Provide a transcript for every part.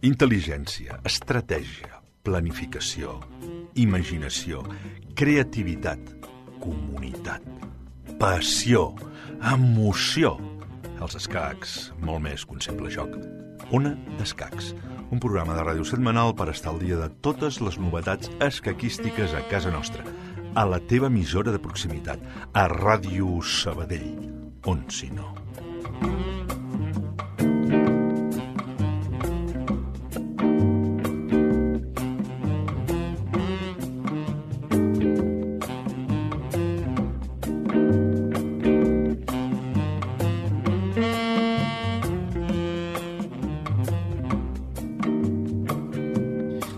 Intel·ligència, estratègia, planificació, imaginació, creativitat, comunitat, passió, emoció. Els escacs, molt més que un simple joc. Ona d'Escacs, un programa de ràdio setmanal per estar al dia de totes les novetats escaquístiques a casa nostra, a la teva emissora de proximitat, a Ràdio Sabadell, on si no.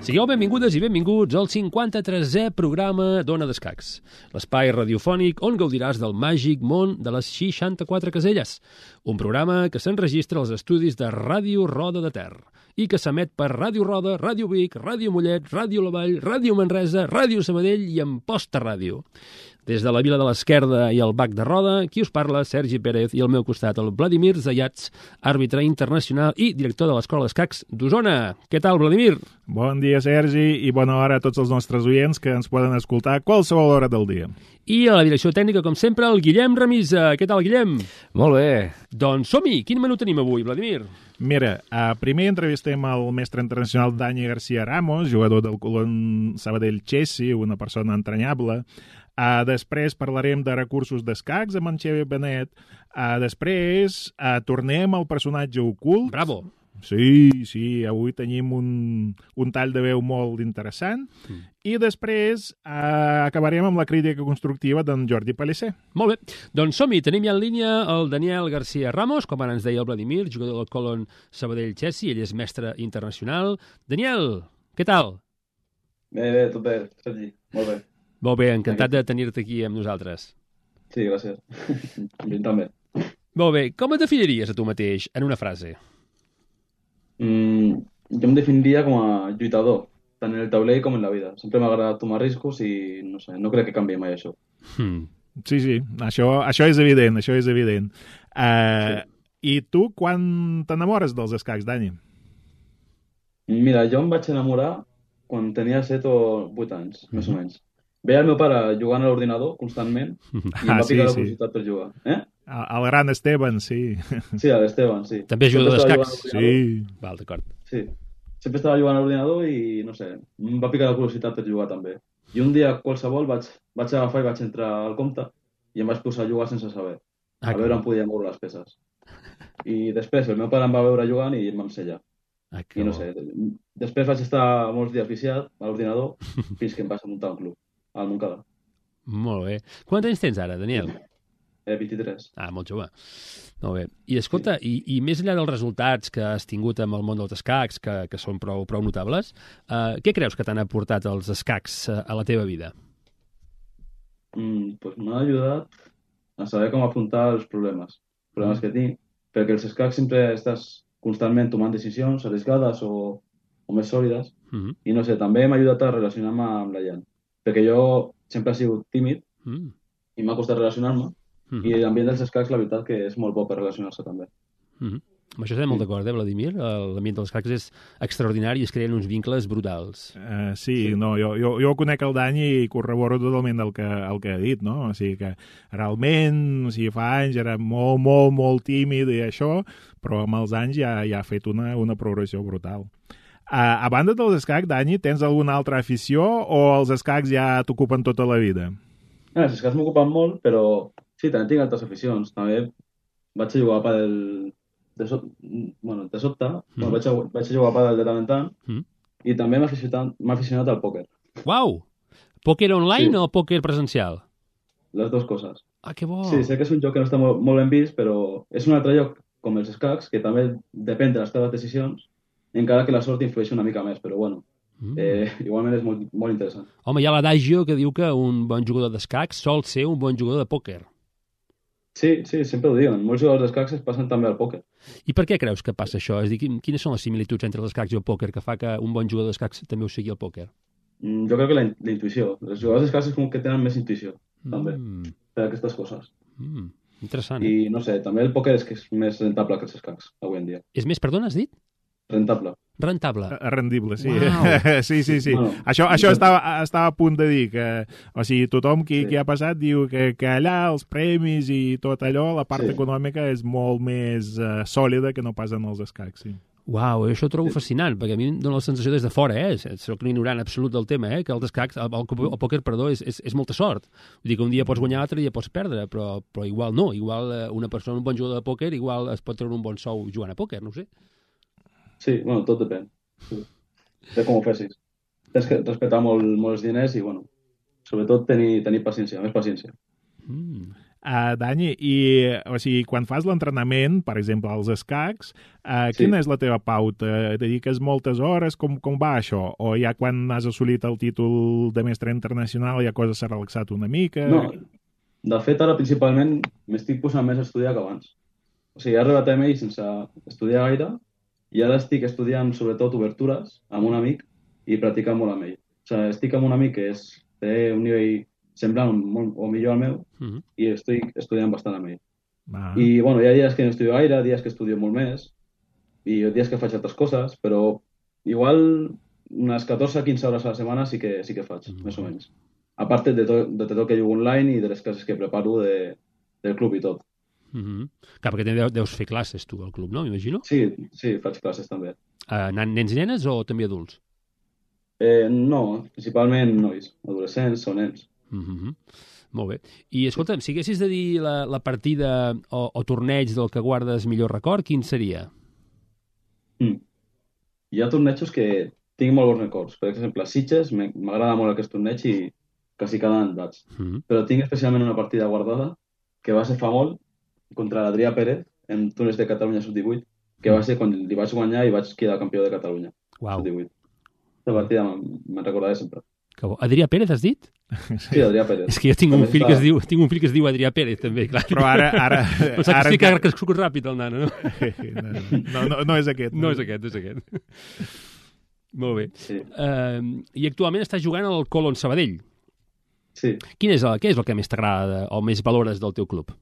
Sigueu benvingudes i benvinguts al 53è programa d'Ona d'Escacs, l'espai radiofònic on gaudiràs del màgic món de les 64 caselles, un programa que s'enregistra als estudis de Ràdio Roda de Ter i que s'emet per Ràdio Roda, Ràdio Vic, Ràdio Mollet, Ràdio La Vall, Ràdio Manresa, Ràdio Sabadell i Amposta Ràdio. Des de la Vila de l'Esquerda i el Bac de Roda, qui us parla, Sergi Pérez, i al meu costat el Vladimir Zayats, àrbitre internacional i director de l'Escola d'Escacs d'Osona. Què tal, Vladimir? Bon dia, Sergi, i bona hora a tots els nostres oients que ens poden escoltar a qualsevol hora del dia. I a la direcció tècnica, com sempre, el Guillem Remisa. Què tal, Guillem? Molt bé. Doncs som-hi! Quin menú tenim avui, Vladimir? Mira, primer entrevistem el mestre internacional Dani García Ramos, jugador del Colón Sabadell Chelsea, una persona entranyable. Després parlarem de recursos d'escacs amb en Xavier Benet. Després tornem al personatge ocult. Bravo! Sí, avui tenim un tall de veu molt interessant. I després acabarem amb la crítica constructiva d'en Jordi Pellicer. Molt bé, doncs som-hi. Tenim ja en línia el Daniel García Ramos, com ara ens deia el Vladimir, jugador del Colón Sabadell Chelsea. Ell és mestre internacional. Daniel, què tal? Bé, tot bé, Sergi. Molt bé. Molt bé, encantat de tenir-te aquí amb nosaltres. Sí, gràcies. Jo també. Molt bé, com et definiries a tu mateix en una frase? Jo em definiria com a lluitador, tant en el taulell com en la vida. Sempre m'ha agradat tomar riscos i no sé, no crec que canvi mai això. Sí, això és evident, Sí. I tu, quan t'enamores dels escacs, Dani? Mira, jo em vaig enamorar quan tenia 7 o 8 anys, més o menys. Veia el meu pare jugant a l'ordinador constantment i em va picar la curiositat per jugar. El gran Esteban, sí. Sí, l'Esteban, sí. També jugador d'escacs? Sí. Val, d'acord. Sí. Sempre estava jugant a l'ordinador i, no sé, em va picar la curiositat per jugar també. I un dia qualsevol vaig agafar i vaig entrar al compte i em vaig posar a jugar sense saber. A veure on podia moure les peces. I després el meu pare em va veure jugant i em va ensenyar. I no sé, després vaig estar molts dies viciat a l'ordinador fins que em vaig muntar un club, al Montcada. Molt bé. Quants anys tens ara, Daniel? 23. Molt jove. Molt bé. I escolta, sí. i més enllà dels resultats que has tingut amb el món dels escacs, que són prou notables, què creus que t'han aportat els escacs a la teva vida? Pues m'ha ajudat a saber com afrontar els problemes que tinc, perquè els escacs sempre estàs constantment tomant decisions arriscades o més sòlides, i no sé, també m'ha ajudat a relacionar-me amb la gent, perquè jo sempre he sigut tímid i m'ha costat relacionar-me, i l'ambient dels escacs, la veritat, que és molt bo per relacionar-se també. Amb això estem molt d'acord, Vladimir? L'ambient dels escacs és extraordinari i es creen uns vincles brutals. Sí. Jo conec el Dani i corroboro totalment el que ha dit, no? O sigui que realment, fa anys era molt tímid i això, però amb els anys ja ha fet una progressió brutal. A banda dels escacs, Dani, tens alguna altra afició o els escacs ja t'ocupen tota la vida? Els escacs m'ocupen molt, però sí, també tinc altres aficions. També vaig a jugar a pàdel de sobte, vaig a jugar a pàdel de tant en tant, i també m'ha aficionat al pòquer. Uau! Pòquer online o pòquer presencial? Les dues coses. Que bo! Sí, sé que és un joc que no està molt ben vist, però és un altre joc com els escacs, que també depèn de les teves decisions, encara que la sort influeix una mica més, però bueno, igualment és molt, molt interessant. Home, hi ha l'adagio que diu que un bon jugador d'escacs sol ser un bon jugador de pòquer. Sí, sempre ho diuen. Molts jugadors d'escacs es passen també al pòquer. I per què creus que passa això? És a dir, quines són les similituds entre els escacs i el pòquer que fa que un bon jugador d'escacs també ho sigui el pòquer? Jo crec que la intuïció. Els jugadors d'escacs és com que tenen més intuïció, també, per aquestes coses. Interessant. I no sé, també el pòquer és que és més rentable que els escacs, avui en dia. És més, perdona, has dit? rentable. Rentable. Rendible, sí. Uau. Sí. Bueno, Això estava a punt de dir, que o sigui, tothom qui ha passat diu que allà els premis i tot allò, la part econòmica és molt més sòlida que no pas en els escacs, sí. Uau, això ho trobo fascinant, perquè a mi em dóna la sensació des de fora, soc un ignorant absolut del tema, que els escacs, el pòquer, perdó, és molta sort. Vull dir que un dia pots guanyar, l'altre dia pots perdre, però igual no, igual una persona, un bon jugador de pòquer, igual es pot treure un bon sou jugant a pòquer, no ho sé. Sí, bueno, tot depèn. De com ho fessis. Tens que respectar molt els diners i, bueno, sobretot tenir paciència, més paciència. Dani, o sigui, quan fas l'entrenament, per exemple, als escacs, quina és la teva pauta? Dediques moltes hores? Com va això? O ja quan has assolit el títol de mestre internacional ja cosa s'ha relaxat una mica? No, de fet, ara principalment m'estic posant més a estudiar que abans. O sigui, he arribat a MI sense estudiar gaire i ara estic estudiant sobretot obertures amb un amic i practicant molt amb ell. O sigui, estic amb un amic que té un nivell semblant o millor al meu i estic estudiant bastant amb ell. I, bueno, hi ha dies que no estudio gaire, dies que estudio molt més i dies que faig altres coses, però igual unes 14-15 hores a la setmana sí que faig, més o menys. A part de tot el que jugo online i de les classes que preparo del club i tot. Clar, perquè deus fer classes tu al club, no? M'imagino? Sí, faig classes també. Nens i nenes o també adults? No, principalment nois, adolescents o nens. Molt bé. I escolta'm, si haguessis de dir la partida o torneig del que guardes millor record, quin seria? Hi ha tornejos que tinc molt bons records. Per exemple, a Sitges m'agrada molt aquest torneig i quasi cada any vaig. Però tinc especialment una partida guardada que va ser fa molt contra l'Adrià Pérez en torneig de Catalunya Sub-18, que va ser quan li vaig guanyar i vaig quedar campió de Catalunya Sub-18. Aquesta partida me'n recordaré sempre. Adrià Pérez, has dit? Sí, Adrià Pérez. És que jo tinc un fill que es diu Adrià Pérez, també, clar. Però ara que ha crescut ràpid, el nano, no? No és aquest. No és aquest. Molt bé. Sí. I actualment estàs jugant al Colón Sabadell. Sí. Què és el que més t'agrada o més valores del teu club?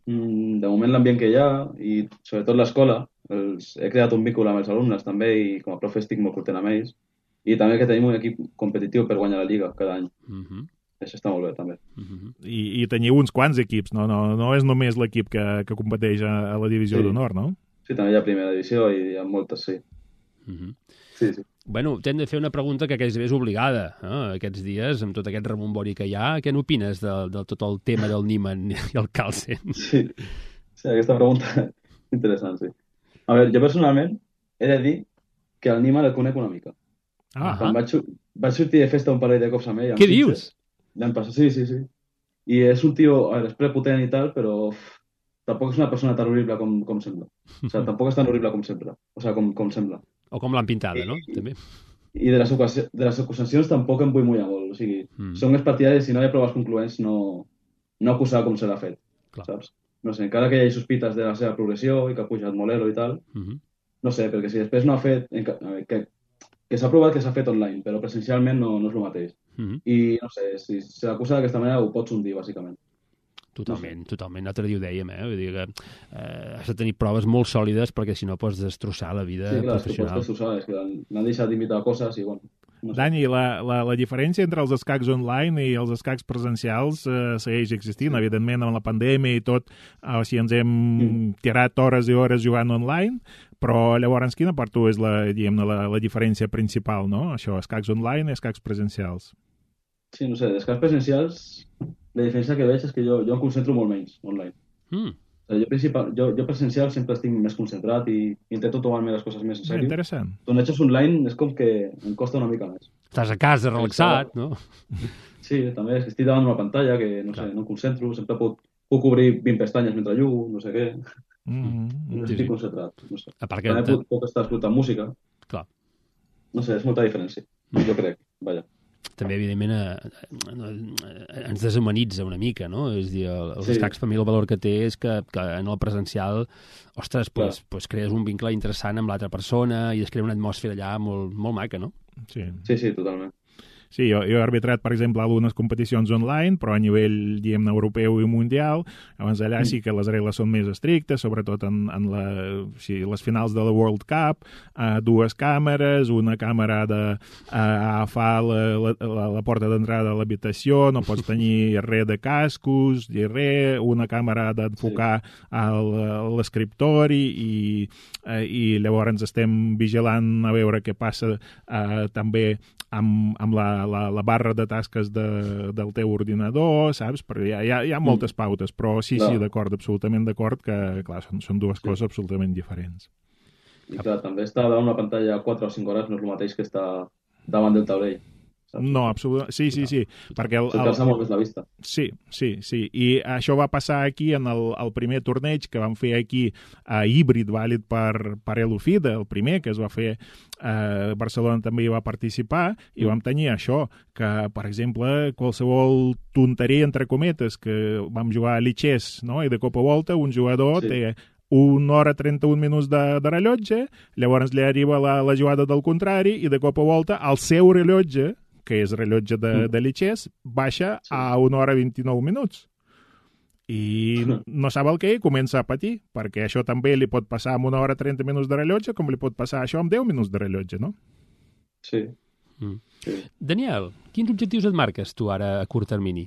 De moment l'ambient que hi ha i sobretot l'escola. He creat un vínculo amb els alumnes també i com a profe estic molt content amb ells. I també que tenim un equip competitiu per guanyar la Lliga cada any. Això està molt bé, també. I teniu uns quants equips, no? No és només l'equip que competeix a la divisió d'honor, no? Sí, també hi ha primera divisió i hi ha moltes, sí. Sí. Bueno, t'hem de fer una pregunta que gairebé és obligada. Aquests dies, amb tot aquest rebombori que hi ha, què n'opines de tot el tema del Niemann i el Carlsen? Sí, aquesta pregunta és interessant, sí. A veure, jo personalment he de dir que el Niemann el conec una mica. Quan vaig sortir de festa un parell de cops amb ell. Què dius? L'any passat, sí. I és un tio, és prepotent i tal, però tampoc és una persona tan horrible com sembla. O sigui, tampoc és tan horrible com sembla. O sigui, com sembla. O com l'han pintada, no? També. I de les acusacions tampoc em vull mullar molt. O sigui, són més partidaris, si no hi ha proves concloents, no acusar com se l'ha fet. Clar. Saps? No sé, encara que hi hagi sospites de la seva progressió i que ha pujat molero i tal, no sé, perquè si després no ha fet... que s'ha provat que s'ha fet online, però presencialment no és el mateix. I, no sé, si s'acusa d'aquesta manera ho pots hundir, bàsicament. Totalment. L'altre dia ho dèiem, Vull dir que has de tenir proves molt sòlides perquè si no pots destrossar la vida professional. Sí, clar, pots destrossar, és que l'han deixat d'invitar a coses i, bueno... No sé. Dani, la diferència entre els escacs online i els escacs presencials segueix existint. Evidentment, amb la pandèmia i tot, o sigui, ens hem tirat hores i hores jugant online, però llavors quina per tu és la diferència principal, no? Això, escacs online i escacs presencials. Sí, no sé, escacs presencials, la diferència que veig és que jo em concentro molt menys online. Jo presencial sempre estic més concentrat i intento tomar-me les coses més en sèrio. Interessant. Tornejos online és com que em costa una mica més. Estàs a casa, relaxat, no? Sí, també és que estic davant d'una pantalla que, no sé, no em concentro, sempre puc obrir 20 pestanyes mentre jugo, no sé què. No estic concentrat. No sé. També puc estar escoltant música. Clar. No sé, és molta diferència. Jo crec, vaja. També, evidentment, ens deshumanitza una mica, no? És a dir, els escacs, per mi, el valor que té és que en el presencial, ostres, pues crees un vincle interessant amb l'altra persona i es crea una atmosfera allà molt, molt maca, no? Sí, totalment. Sí, jo he arbitrat, per exemple, algunes competicions online, però a nivell, diguem-ne, europeu i mundial. Llavors allà sí que les regles són més estrictes, sobretot en les finals de la World Cup, dues càmeres, una càmera ha d'agafar la porta d'entrada de l'habitació, no pots tenir res de cascos, ni res, una càmera ha d'enfocar a l'escriptori i llavors estem vigilant a veure què passa també amb la barra de tasques del teu ordinador, saps? Perquè hi ha moltes pautes, però sí, d'acord, absolutament d'acord que, clar, són dues coses absolutament diferents. I clar, també estar davant una pantalla 4 o 5 hores no és el mateix que estar davant del taulell. No, absolutament. Sí. Perquè cansa molt més la vista. Sí. I això va passar aquí en el primer torneig que vam fer aquí híbrid, vàlid per Elufida, el primer que es va fer Barcelona també hi va participar i vam tenir això, que, per exemple, qualsevol tonteria, entre cometes, que vam jugar a Lichess, no? I de cop a volta un jugador té 1 hora 31 minuts de rellotge, llavors li arriba la jugada del contrari i de cop a volta el seu rellotge, que és rellotge de Lichess, baixa a 1 hora 29 minuts. I no sap el què i comença a patir, perquè això també li pot passar amb 1 hora 30 minuts de rellotge, com li pot passar això amb 10 minuts de rellotge, no? Sí. Daniel, quins objectius et marques tu ara a curt termini?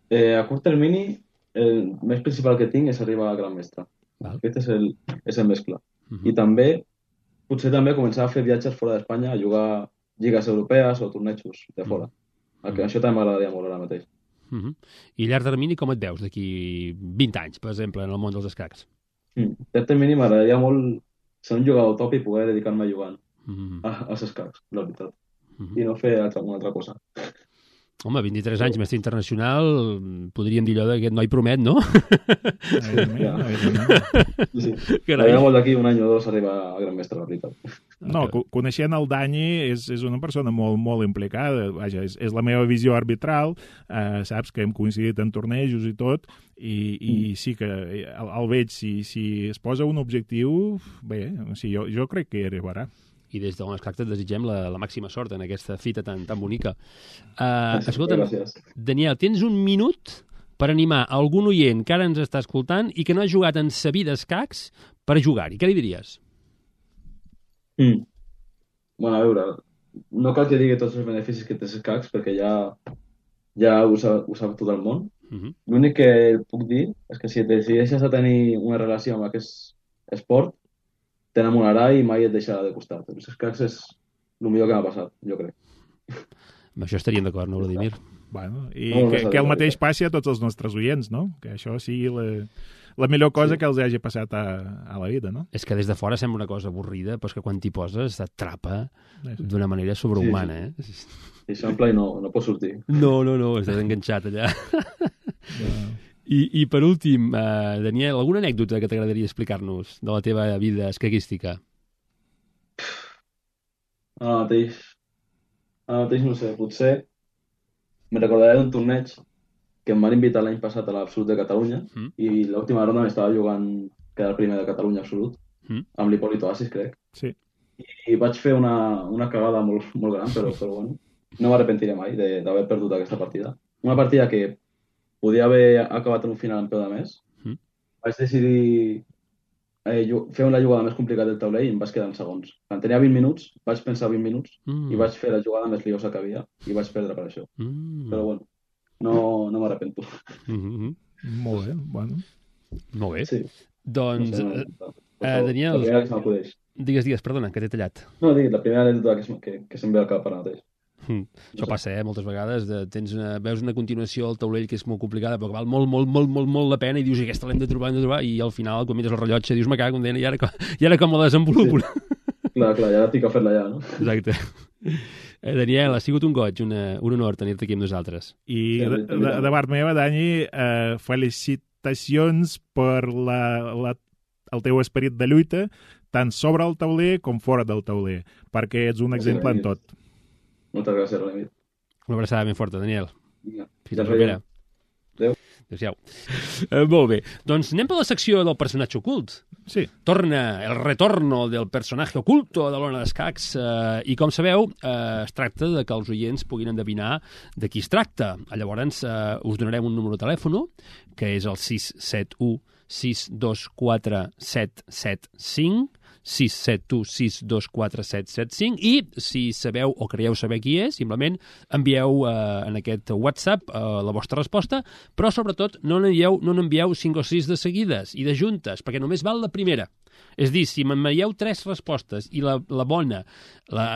A curt termini, el més principal que tinc és arribar a gran mestre. Aquest és el més clar. I també, potser també començar a fer viatges fora d'Espanya, a jugar lligues europees o tornejos de fora. Això també m'agradaria molt ara mateix. I a llarg termini com et veus d'aquí 20 anys, per exemple, en el món dels escacs? A llarg termini m'agradaria molt ser un jugador top i poder dedicar-me jugant als escacs, la veritat. I no fer una altra cosa. Home, 23 anys, mestre internacional, podríem dir allò d'aquest noi promet, no? Sí. M'agradaria molt d'aquí 1 any o 2 arribar a gran mestre, la veritat. No, coneixent el Dani és una persona molt, molt implicada. Vaja, és la meva visió arbitral, saps que hem coincidit en tornejos i tot, i sí que el veig, si es posa un objectiu, bé, jo crec que hi arribarà. I des de l'Escac et desitgem la màxima sort en aquesta fita tan bonica. Escolta'm, Daniel, tens 1 minut per animar algun oient que ara ens està escoltant i que no ha jugat en sa vida escacs per jugar-hi. Què li diries? Bueno, a veure, no cal que digui tots els beneficis que té els escacs perquè ja ho sap tot el món. L'únic que puc dir és que si et decideixes a tenir una relació amb aquest esport, t'enamorarà i mai et deixarà de costat. Els escacs és el millor que m'ha passat, jo crec. Amb això estaríem d'acord, no, Vladimir? Bueno, i que el mateix passi a tots els nostres oients, no? Que això sigui la millor cosa que els hagi passat a la vida, no? És que des de fora sembla una cosa avorrida, però és que quan t'hi poses t'atrapa d'una manera sobrehumana, eh? I s'ampla i no pot sortir. No, estàs enganxat allà. I per últim, Daniel, alguna anècdota que t'agradaria explicar-nos de la teva vida escaquística? Ara mateix no sé, potser me recordaré d'un torneig que em van invitar l'any passat a l'Absolut de Catalunya i l'última ronda m'estava jugant, que era el primer de Catalunya Absolut, amb l'Hipólito Asis, crec. Sí. I vaig fer una cagada molt, molt gran, però bueno, no m'arrepentiré mai d'haver perdut aquesta partida. Una partida que podia haver acabat en un final en peu de més. Vaig decidir fer la jugada més complicada del taulell i em vaig quedar en segons. Quan tenia 20 minuts, vaig pensar 20 minuts i vaig fer la jugada més liosa que havia i vaig perdre per això. Però bueno, no m'arrepento. Molt bé, bueno. Molt bé. Sí. Doncs, Daniel... La primera que se m'acudeix. Digues, perdona, que t'he tallat. No, la primera anècdota que se'm ve al cap ara mateix. Això passa, moltes vegades. Veus una continuació al taulell que és molt complicada, però que val molt la pena i dius, aquesta l'hem de trobar, i al final, quan mires el rellotge, dius, me cago, i ara com la desenvolupo. Clar, ja tinc que fer-la ja, no? Exacte. Daniel, ha sigut un goig, un honor tenir-te aquí amb nosaltres. I de part meva, Dani, felicitacions per el teu esperit de lluita, tant sobre el tauler com fora del tauler, perquè ets un exemple en tot. Moltes gràcies, Remit. Una abraçada ben forta, Daniel. Vinga. Fins la propera. Adéu. Adéu-siau. Molt bé. Doncs anem per la secció del personatge ocult. Sí. Torna el retorno del personatge oculto de l'Ona d'Escacs i, com sabeu, es tracta de que els oients puguin endevinar de qui es tracta. Llavors, us donarem un número de telèfon, que és el 671 624 775, 671 624 775, i si sabeu o creieu saber qui és, simplement envieu en aquest WhatsApp la vostra resposta, però sobretot no n'envieu 5 o 6 de seguides i de juntes, perquè només val la primera. És a dir, si m'envieu 3 respostes i la bona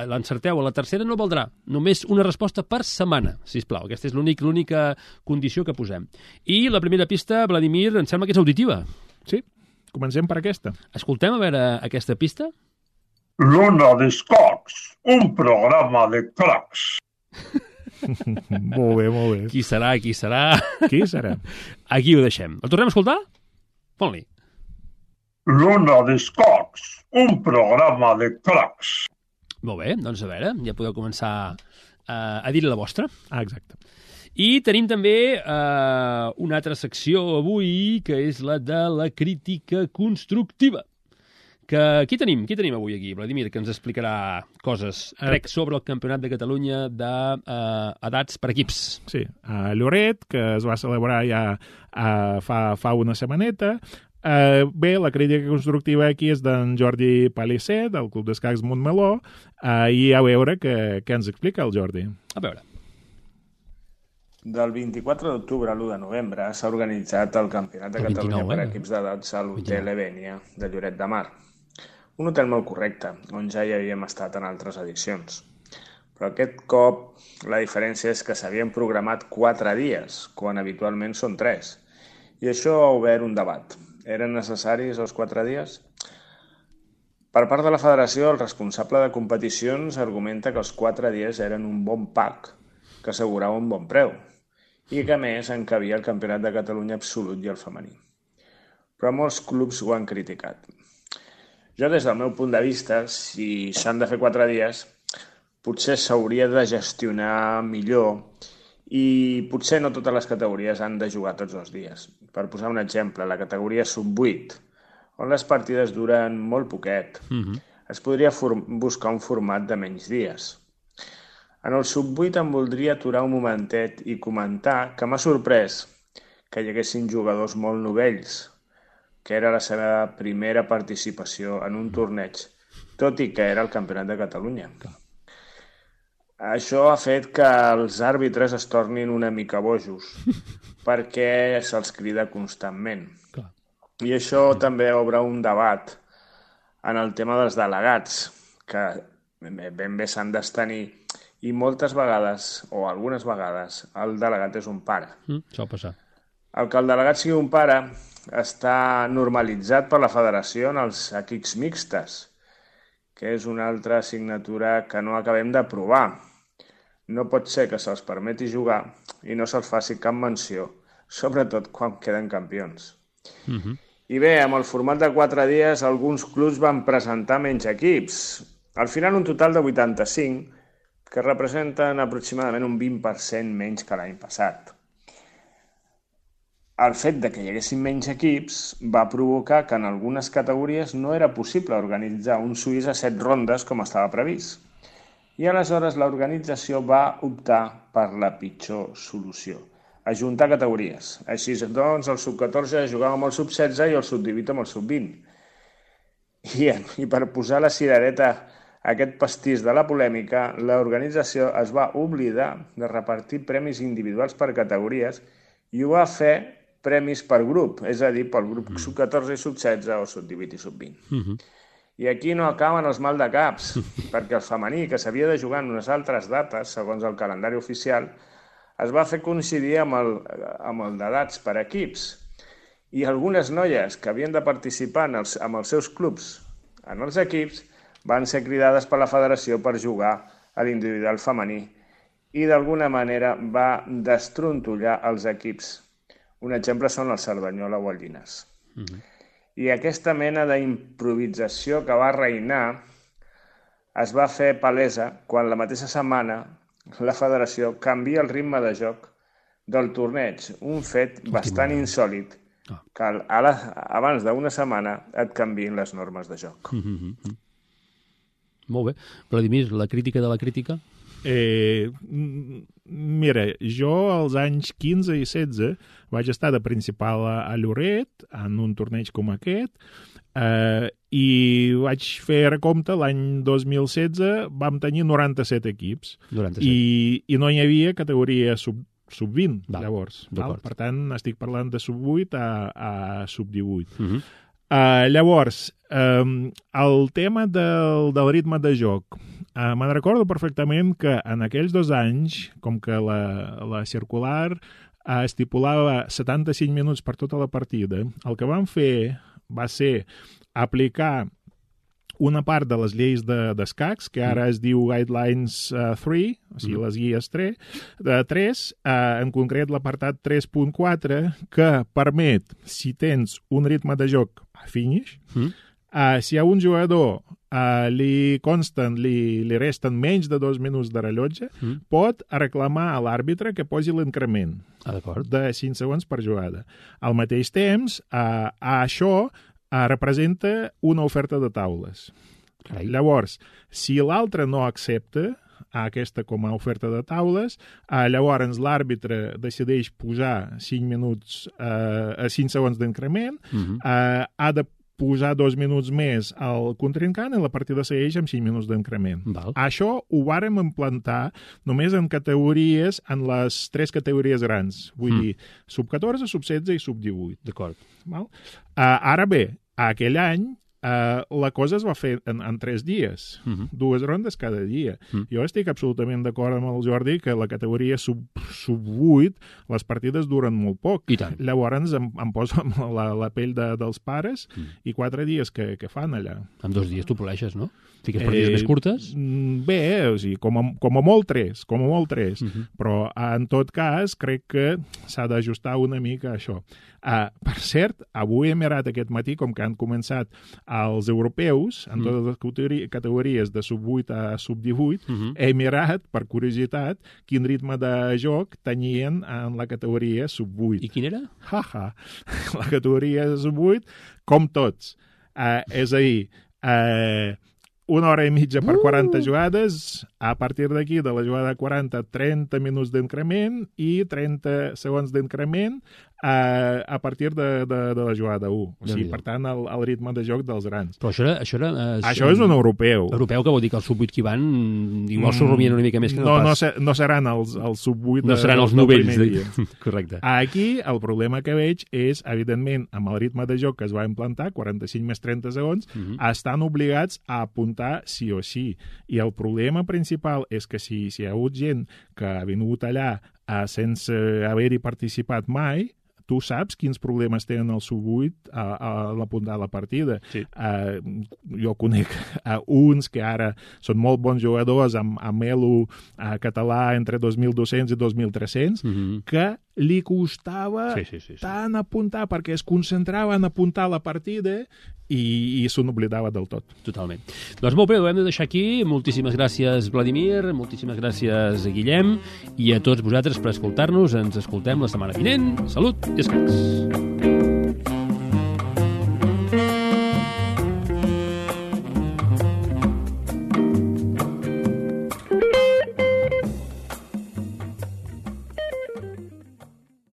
l'encerteu a la tercera, no valdrà. Només una resposta per setmana, sisplau. Aquesta és l'única condició que posem. I la primera pista, Vladimir, em sembla que és auditiva. Sí, comencem per aquesta. Escoltem a veure aquesta pista. L'Ona d'Escacs, un programa de cracs. Molt bé, molt bé. Qui serà? Qui serà? Aquí ho deixem. El tornem a escoltar? Pon-li. L'Ona d'Escacs, un programa de cracs. Molt bé, doncs a veure, ja podeu començar a dir la vostra. Exacte. I tenim també una altra secció avui, que és la de la crítica constructiva. Qui tenim avui aquí, Vladimir, que ens explicarà coses, crec, sobre el Campionat de Catalunya d'edats per equips. Sí, a Lloret, que es va celebrar ja fa una setmaneta. Bé, la crítica constructiva aquí és d'en Jordi Palisser, del Club d'Escacs Montmeló, i a veure què ens explica el Jordi. A veure. Del 24 d'octubre a l'1 de novembre s'ha organitzat el Campionat de Catalunya per equips d'edats a l'Hotel Ebènia de Lloret de Mar. Un hotel molt correcte, on ja hi havíem estat en altres edicions. Però aquest cop la diferència és que s'havien programat 4 dies, quan habitualment són 3. I això ha obert un debat. Eren necessaris els 4 dies? Per part de la federació, el responsable de competicions argumenta que els 4 dies eren un bon pack, que assegurava un bon preu, i que a més encabia el Campionat de Catalunya absolut i el femení. Però molts clubs ho han criticat. Jo, des del meu punt de vista, si s'han de fer 4 dies, potser s'hauria de gestionar millor i potser no totes les categories han de jugar tots els dies. Per posar un exemple, la categoria sub-8, on les partides duren molt poquet, es podria buscar un format de menys dies. En el sub-8 em voldria aturar un momentet i comentar que m'ha sorprès que hi haguessin jugadors molt novells, que era la seva primera participació en un torneig, tot i que era el Campionat de Catalunya. Això ha fet que els àrbitres es tornin una mica bojos, perquè se'ls crida constantment. I això també obre un debat en el tema dels delegats, que ben bé s'han d'abstenir, i moltes vegades, o algunes vegades, el delegat és un pare. Això passa. El que el delegat sigui un pare està normalitzat per la federació en els equips mixtes, que és una altra assignatura que no acabem d'aprovar. No pot ser que se'ls permeti jugar i no se'ls faci cap menció, sobretot quan queden campions. I bé, amb el format de 4 dies, alguns clubs van presentar menys equips. Al final, un total de 85, que representen aproximadament un 20% menys que l'any passat. El fet de que hi haguessin menys equips va provocar que en algunes categories no era possible organitzar un suís a 7 rondes com estava previst. I aleshores l'organització va optar per la pitjor solució, ajuntar categories. Així doncs, el sub-14 jugava amb el sub-16 i el sub-18 amb el sub-20. I per posar la cirereta a aquest pastís de la polèmica, l'organització es va oblidar de repartir premis individuals per categories i ho va fer premis per grup, és a dir, pel grup sub-14 i sub-16 o sub-18 i sub-20. I aquí no acaben els maldecaps, perquè el femení, que s'havia de jugar en unes altres dates, segons el calendari oficial, es va fer coincidir amb el d'edats per equips. I algunes noies que havien de participar amb els seus clubs en els equips van ser cridades per la federació per jugar a l'individual femení i d'alguna manera va destrontollar els equips. Un exemple són el Cerdanyola o el Llinars. I aquesta mena d'improvisació que va reinar es va fer palesa quan la mateixa setmana la federació canvia el ritme de joc del torneig, un fet bastant insòlid, que abans d'una setmana et canviïn les normes de joc. Molt bé. Vladimir, la crítica de la crítica? Mira, jo als anys 15 i 16 vaig estar de principal a Lloret en un torneig com aquest i vaig fer recompte l'any 2016 vam tenir 97 equips 97. I no hi havia categoria sub-20 llavors. Per tant, estic parlant de sub-8 a sub-18. Llavors, el tema del ritme de joc. Me'n recordo perfectament que en aquells 2 anys, com que la circular estipulava 75 minuts per tota la partida, el que vam fer va ser aplicar una part de les lleis d'escacs, que ara es diu Guidelines 3, o sigui, les guies 3, en concret l'apartat 3.4, que permet, si tens un ritme de joc a finish, si a un jugador li resten menys de 2 minuts de rellotge, pot reclamar a l'àrbitre que posi l'increment de 5 segons per jugada. Al mateix temps, això representa una oferta de taules. Llavors, si l'altre no accepta aquesta com a oferta de taules, llavors l'àrbitre decideix posar 5 segons d'increment, ha de posar 2 minuts més al contrincant i la partida segueix amb 5 minuts d'increment. Això ho vàrem implantar només en categories, en les 3 categories grans, vull dir, sub-14, sub-16 i sub-18. D'acord. Ara bé, aquell any la cosa es va fer en 3 dies, 2 rondes cada dia. Jo estic absolutament d'acord amb el Jordi que la categoria sub-8 les partides duren molt poc. Llavors em poso amb la pell dels pares i 4 dies que fan allà. En 2 dies tu poleixes, no? Fiques partides més curtes? Bé, o sigui, com a molt 3, però en tot cas crec que s'ha d'ajustar una mica això. Per cert, avui he mirat aquest matí, com que han començat els europeus, en totes les categories de sub-8 a sub-18, he mirat, per curiositat, quin ritme de joc tenien en la categoria sub-8. I quin era? La categoria sub-8, com tots. És a dir, 1 hora i mitja per 40 jugades, a partir d'aquí, de la jugada 40, 30 minuts d'increment i 30 segons d'increment a partir de la jugada 1. O sigui, per tant, el ritme de joc dels grans. Però això és un europeu. Europeu, que vol dir que els sub-8 que hi van igual s'ho rumien una mica més que no pas. No seran els sub-8 no seran els novells. Correcte. Aquí el problema que veig és, evidentment, amb el ritme de joc que es va implantar, 45 més 30 segons, estan obligats a apuntar sí o sí. I el problema principal és que si hi ha hagut gent que ha vingut allà sense haver-hi participat mai, tu saps quins problemes tenen el sub-8 a l'apuntar la partida. Jo conec uns que ara són molt bons jugadors amb elo català entre 2.200 i 2.300, que li costava tant apuntar, perquè es concentrava en apuntar la partida i se n'oblidava del tot. Totalment. Doncs molt bé, ho hem de deixar aquí. Moltíssimes gràcies, Vladimir, moltíssimes gràcies, Guillem, i a tots vosaltres per escoltar-nos. Ens escoltem la setmana vinent. Salut i escans!